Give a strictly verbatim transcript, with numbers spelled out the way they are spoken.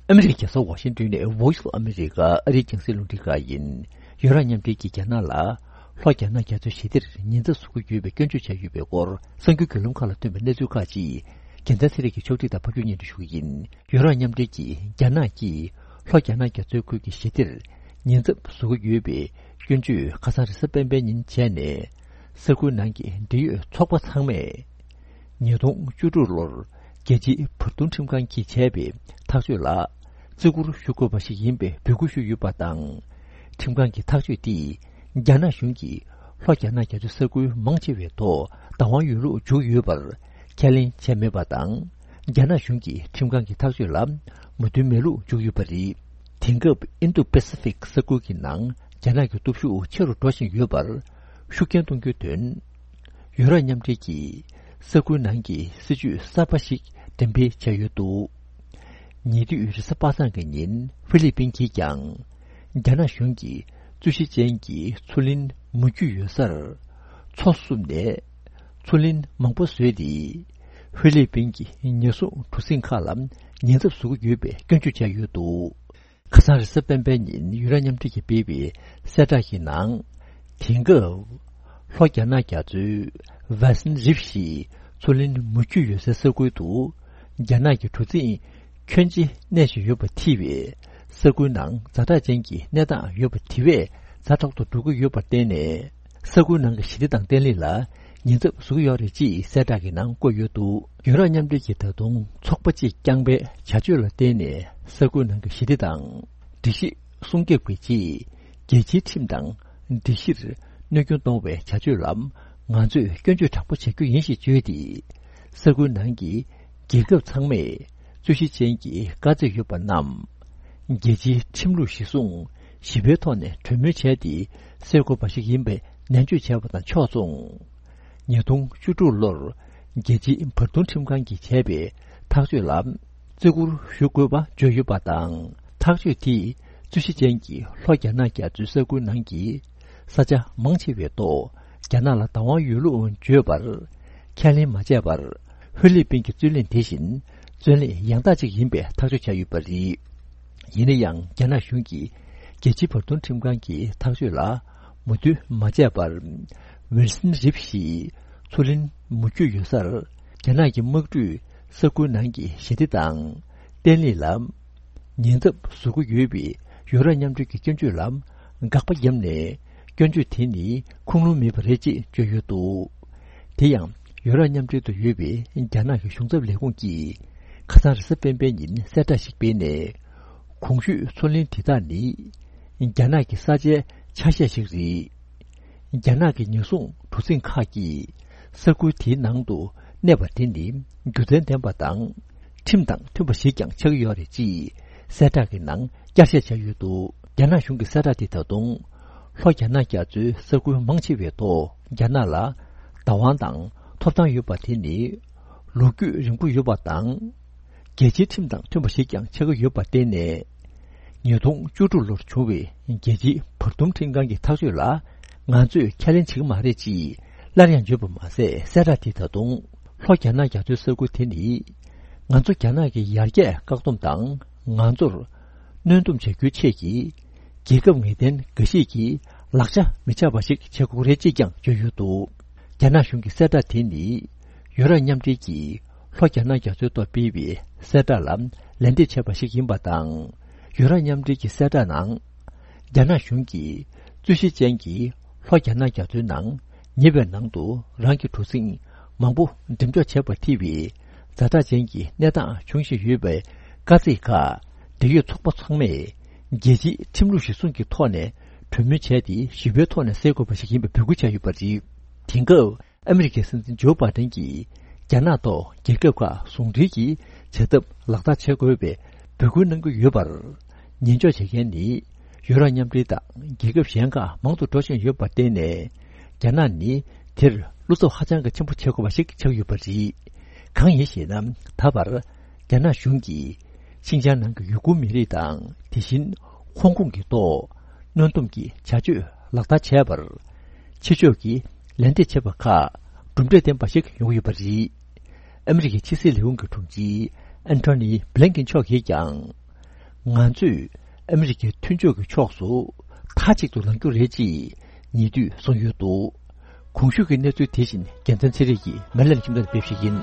ཨ་མི་རི་ཀའི་རྒྱལ་ས་ཝ་ཤིང་ཏོན་ནས་Voice of America ཨ་རིའི་རྒྱང་སྲིང་རླུང་འཕྲིན་ཁང་ཡིན། ཡུ་རོབ་མཉམ་འབྲེལ་གྱིས་རྒྱ་ནག་ལ་ལྷོ་རྒྱ་ནག་རྒྱ་མཚོའི་ཞི་བདེར་ཉེན་ཚབས་བཟོ་གི་ཡོད་པའི་སྐྱོན་བརྗོད་བྱས་ཡོད་པའི་སྐོར་གསར་འགྱུར་བརྒྱུད་ལམ་ཁག་ལ་ཐོན་པའི་གནས་ཚུལ་ཁག་ཅིག་རྒྱལ་མཚན་ཚེ་རིང་གིས་ཕྱོགས་སྒྲིག་དང་ཕབ་སྒྱུར་སྙན་སྒྲོན་ཞུ་གི་ཡིན། ཡུ་རོབ་མཉམ་འབྲེལ་གྱིས་རྒྱ་ནག་གིས་ལྷོ་རྒྱ་ནག་རྒྱ་མཚོའི་ཁུལ་གྱི་ཞི་བདེར་ཉེན་ཚབས་བཟོ་གི་ཡོད་པའི་སྐྱོན་བརྗོད་ཁ་སང་རེས་གཟའ་སྤེན་པའི་ཉིན་བྱས་ནས། ས་ཁུལ་ནང་གི་འབྲེལ་ཡོད་ཚོགས་པ་ཚང་མས། ཉིས་སྟོང་བཅུ་དྲུག་ལོར་རྒྱལ་སྤྱིའི་བར་འདུམ་ཁྲིམས་ཁང་གིས་བྱས་པའི་ཐག་གཅོད་ལ་བརྩི་བཀུར་ཞུ་དགོས་པ་ཞིག་ཡིན་པའི་འབོད་སྐུལ་ཞུས་ཡོད་པ་དང་། ཁྲིམས་ཁང་གི་ཐག་གཅོད་དེས་རྒྱ་ནག་གཞུང་གིས་ལྷོ་རྒྱ་ནག་རྒྱ་མཚོའི་ས་ཁུལ་མང་ཆེ་བའི་ཐོག་བདག་དབང་ཡོད་ལུགས་འཇོག་ཡོད་པར་ཁས་ལེན་བྱས་མེད་པ་དང་། རྒྱ་ནག་གཞུང་གིས་ཁྲིམས་ཁང་གི་ཐག་གཅོད་ལ་མོས་མཐུན་མེད་ལུགས་འཇོག་ཡོད་པ་རེད། དེང་སྐབས་ཨིན་རྡུ་པེ་སི་ཕིག་ས་ཁུལ་གྱི་ནང་རྒྱ་ནག་གི་སྟོབས་ཤུགས་ཆེ་རུ་འགྲོ་བཞིན་ཡོད་པར་ཤུགས་རྐྱེན་གཏོང་རྒྱུའི་དོན། ཡུ་རོབ་མཉམ་འབྲེལ་གྱིས་ས་ཁུལ་ནང་གི་སྲིད་ཇུས་གསར་པ་ཞིག་འགྲེམས་སྤེལ་བྱས་ཡོད་འདུག་ཉེ་དུས་རེས་གཟའ་པ་སངས་ཀྱི་ཉིན་ཧྥི་ལི་པིན་གྱིས་ཀྱང་རྒྱ་ནག་གཞུང་གིས་རྩོད་གཞི་ཅན་གྱི་མཚོ་གླིང་མུ་ཁྱུད་ཡོད་སར་མཚོ་བསུབས་ནས་མཚོ་གླིང་མང་པོ་བཟོས་ཏེ་ཧྥི་ལི་པིན་གྱི་ཉེན་སྲུང་གྲུ་གཟིངས་ཁག་ལ་ཉེན་ཚབས་བཟོ་གི་ཡོད་པའི་སྐྱོན་བརྗོད་བྱས་ཡོད་འདུག་ཁ་སང་རེས་གཟའ་སྤེན་པའི་ཉིན་ཡུ་རོབ་མཉམ་འབྲེལ་གྱིས་སྤེལ་བའི་གསལ་བསྒྲགས་ཀྱི་ནང་། དེང་སྐབས་ལྷོ་རྒྱ་ནག་རྒྱ་མཚོའི་ཝེ་སན་རིབ་ཞེས་མཚོ་གླིང་མུ་ཁྱུད་ཡོད་སའི་ས་ཁུལ་དུ་རྒྱ་ནག་གི་གྲུ་གཟིངས་ཁྱོན་ཆེ་གནས་བཞིན་ཡོད་པ་ཐེ་བའི་ས་ཁུལ་ནང་ཛ་དྲག་ཅན་གྱི་གནས་སྟངས་ཡོད་པ་དེ་བས་ཛ་དྲག་ཏུ་འགྲོ་གི་ཡོད་པར་བརྟེན་ནས། ས་ཁུལ་ནང་གི་ཞི་བདེ་དང་བརྟན་ལྷིང་ལ་ཉེན་ཚབས་བཟོ་གི་ཡོད་རེད་ཅེས་གསལ་བསྒྲགས་ཀྱི་ནང་བཀོད་ཡོད་འདུག་ཡུ་རོབ་མཉམ་འབྲེལ་གྱིས་ད་དུང་ཚོགས་པ་གཅིག་རྐྱང་པའི་བྱ་སྤྱོད་ལ་བརྟེན་ནས་ས་ཁུལ་ནང་གི་ཞི་བདེ་དང་། སྒྲིག་གཞི་སྲུང་སྐྱོབ་ཀྱི་ཆེད་རྒྱལ་སྤྱིའི་ཁྲིམས་དང་སྒྲིག་གཞིར་གནོད་སྐྱོན་གཏོང་བའི་བྱ་སྤྱོད་ལ་ང་ཚོས་སྐྱོན་བརྗོད་དྲག་པོ་བྱ་རྒྱུ་ཡིན་ཞེས་བརྗོད་དེ། ས་ཁུལ་ནང་གི་རྒྱལ་ཁབ་ཚང་མས་རྩོད་གཞི་ཅན་གྱི་དཀའ་ཚེགས་ཡོད་པ་རྣམས། རྒྱལ་སྤྱིའི་ཁྲིམས་ལུགས་གཞིར་བཟུང་ཞི་བའི་ཐོག་ནས་གྲོས་མོལ་བྱས་ཏེ་སེལ་དགོས་པ་ཞིག་ཡིན་པའི་ནན་བརྗོད་བྱས་པ་དང་ཕྱོགས་མཚུངས། ཉིས་སྟོང་བཅུ་དྲུག་ལོར་རྒྱལ་སྤྱིའི་བར་འདུམ་ཁྲིམས་ཁང་གིས་བྱས་པའི་ཐག་གཅོད་ལ་བརྩི་བཀུར་ཞུ་དགོས་པ་བརྗོད་ཡོད་པ་དང་། ཐག་གཅོད་དེས་རྩོད་གཞི་ཅན་གྱི་ལྷོ་རྒྱ་ནག་རྒྱ་མཚོའི་ས་ཁུལ་ནང་གི་ས་ཆ་མང་ཆེ་བའི་ཐོག་རྒྱ་ནག་ལ་བདག་དབང་ཡོད་ལུགས་བརྗོད་པར་ཁས་ལེན་མ་བྱས་པར། ཧྥི་ལི་པིན་གྱི་རྩོད་གླེང་དེ་བཞིན་རྩོད་གླེང་ཡང་དག་ཅིག་ཡིན་པའི་ཐག་གཅོད་བྱས་ཡོད་པ་རེད། ཡིན་ན་ཡང་རྒྱ་ནག་གཞུང་གིས་རྒྱལ་སྤྱིའི་བར་འདུམ་ཁྲིམས་ཁང་གི་ཐག་གཅོད་ལ་མོས་མཐུན་མ་བྱས་པར། ཝིལ་སན་རིབ་ཞེས་མཚོ་གླིང་མུ་ཁྱུད་ཡོད་སར་རྒྱ་ནག་གི་དམག་གྲུས་ས་ཁུལ་ནང་གི་ཞི་བདེ་དང་བརྟན་ལྷིང་ལ་ཉེན་ཚབས་བཟོ་གི་ཡོད་པའི་ཡུ་རོབ་མཉམ་འབྲེལ་གྱི་སྐྱོན་བརྗོད་ལ་དགག་པ་བརྒྱབ་ནས། སྐྱོན་བརྗོད་དེ་ནི་ཁུངས་ལུང་མེད་པ་རེད་ཅེས་བརྗོད་ཡོད་འདུག་དེ་ཡང་ཡུ་རོབ་མཉམ་འབྲེལ་དུ་ཡོད་པའི་རྒྱ་ནག་གི་གཞུང་ཚབ་ལས་ཁུངས་ཀྱིས་ཁ་སང་རེས་གཟའ་སྤེན་པའི་ཉིན་གསལ་བསྒྲགས་ཤིག་སྤེལ་ནས། གོང་ཞུས་མཚོ་གླིང་དེ་དག་ནི་རྒྱ་ནག་གི་ས་ཆའི་ཆ་ཤས་ཤིག་རེད། རྒྱ་ནག་གི་ཉེན་སྲུང་གྲུ་གཟིངས་ཁག་གིས་ས་ཁུལ་དེའི་ནང་དུ་གནས་པ་དེ་ནི་རྒྱུ་མཚན་ལྡན་པ་དང་། ཁྲིམས་དང་མཐུན་པ་ཞིག་ཀྱང་ཆགས་ཀྱི་ཡོད་རེད་ཅེས་གསལ་བསྒྲགས་ཀྱི་ནང་བསྐྱར་བཤད་བྱས་ཡོད་འདུག་རྒྱ་ནག་གཞུང་གི་གསལ་བསྒྲགས་དེ་ད་དུང་ལྷོ་རྒྱ་ནག་རྒྱ་མཚོའི་ས་ཁུལ་མང་ཆེ་བའི་ཐོག་རྒྱ་ནག་ལ་བདག་དབང་དང་ཐོབ་ཐང་ཡོད་པ་དེ་ནི་ལོ་རྒྱུས་རིང་པོ་ཡོད་པ་དང་། རྒྱལ་སྤྱིའི་ཁྲིམས་དང་མཐུན་པ་ཞིག་ཀྱང་ཆགས་ཀྱི་ཡོད་པར་བརྟེན་ནས། ཉིས་སྟོང་བཅུ་དྲུག་ལོར་བྱུང་བའི་རྒྱལ་སྤྱིའི་བར་འདུམ་ཁྲིམས་ཁང་གི་ཐག་གཅོད་ལ་ང་ཚོས་ཁས་ལེན་བྱེད་ཀྱི་མ་རེད་ཅེས་སླར་ཡང་བརྗོད་པ་མ་ཟད། གསལ་བསྒྲགས་དེ་ད་དུང་ལྷོ་རྒྱ་ནག་རྒྱ་མཚོའི་ས་ཁུལ་དེ་ནི་ང་ཚོ་རྒྱ་ནག་གི་ཡར་རྒྱས་བཀག་སྡོམ་དང་ང་ཚོར་གནོན་སྡོམ་བྱ་རྒྱུའི་ཆེད་ཀྱི་རྒྱལ་ཁབ་ངེས་གཏན་འགའ་ཞིག་གི་ལག་ཆ་མི་ཆགས་པ་ཞིག་བྱེད་དགོས་རེད་ཅེས་ཀྱང་བརྗོད་ཡོད་འདུག་རྒྱ་ནག་གཞུང་གི་གསལ་བསྒྲགས་དེ་ནི་ཡུ་རོབ་མཉམ་འབྲེལ་གྱིས་ལྷོ་རྒྱ་ནག་རྒྱ་མཚོའི་ཐོག་སྤེལ་བའི་གསལ་བསྒྲགས་ལ་ལན་འདེབས་བྱས་པ་ཞིག་ཡིན་པ་དང་། ཡུ་རོབ་མཉམ་འབྲེལ་གྱི་གསལ་བསྒྲགས་ནང་། རྒྱ་ནག་གཞུང་གིས་རྩོད་གཞི་ཅན་གྱི་ལྷོ་རྒྱ་ནག་རྒྱ་མཚོའི་ནང་ཉེ་བའི་ནང་དུ་རང་གི་གྲུ་གཟིངས་མང་པོ་འགྲེམས་འཇོག་བྱས་པ་ཐེ་བའི་ཛ་དྲག་ཅན་གྱི་གནས་སྟངས་འབྱུང་བཞིན་ཡོད་པའི་དཀའ་ཚེགས་ཁག་འབྲེལ་ཡོད་ཚོགས་པ་ཚང་མས་རྒྱལ་སྤྱིའི་ཁྲིམས་ལུགས་གཞིར་བཟུང་གི་ཐོག་ནས་གྲོས་མོལ་བྱས་ཏེ་ཞི་བའི་ཐོག་ནས་སེལ་དགོས་པ་ཞིག་ཡིན་པའི་འབོད་སྐུལ་བྱས་ཡོད་པ་རེད། དེང་སྐབས། ཨ་མི་རི་ཀའི་སྲིད་འཛིན་ཇོ་བྷའི་ཌེན་གྱིས་རྒྱ་ནག་ཐོག་རྒྱལ་ཁབ་ཁག་ཟུང་འབྲེལ་གྱིས་བྱ་ཐབས་ལག་བསྟར་བྱེད་དགོས་པའི་འབོད་སྐུལ་གནང་གི་ཡོད་པར། ཉན་འཇོག་བྱེད་མཁན་ནི་ཡུ་རོབ་མཉམ་འབྲེལ་དང་རྒྱལ་ཁབ་གཞན་ཁག་མང་དུ་འགྲོ་བཞིན་ཡོད་པར་བརྟེན་ནས། རྒྱ་ནག་ནི་དེར་བློ་འཚབ་ཧ་ཅང་གི་ཆེན་པོ་བྱེད་དགོས་པ་ཞིག་ཆགས་ཡོད་པ་རེད། གང་ཡིན་ཞེ་ན། ད་བར་རྒྱ་ནག་གཞུང་གིས་ཤིན་ཅང་ནང་གི་ཡུ་གུར་མི་རིགས་དང་། དེ་བཞིན་ཧོང་ཀོང་གི་ཐོག་གནོན་སྡོམ་གྱི་བྱ་སྤྱོད་ལག་བསྟར་བྱས་པར། ཕྱི་ཕྱོགས་ཀྱིས་ལན་འདེབས་བྱས་པ་ཁག་གྲུབ་འབྲས་ལྡན་པ་ཞིག་ཡོང་གི་ཡོད་པ་རེད། ཨ་མི་རི་ཀའི་ཕྱི་སྲིད་ལས་ཁུངས་ཀྱི་དྲུང་ཆེ་ཨན་ཐོ་ནི་བྷི་ལིན་ཀེན་མཆོག་གིས་ཀྱང་ ང་ཚོས་ཨ་མི་རི་ཀའི་མཐུན་ཕྱོགས་ཀྱི་ཕྱོགས་སུ་མཐའ་གཅིག་ཏུ་ལངས་རྒྱུ་རེད་ཅེས་ཉེ་དུས་གསུངས་ཡོད་འདུག། གོང་ཞུས་ཀྱི་གནས་ཚུལ་དེ་བཞིན་རྒྱལ་མཚན་ཚེ་རིང་གིས་མེ་ལན་ཁྱིམ་ཚང་སྤེལ་ཞིག་ཡིན།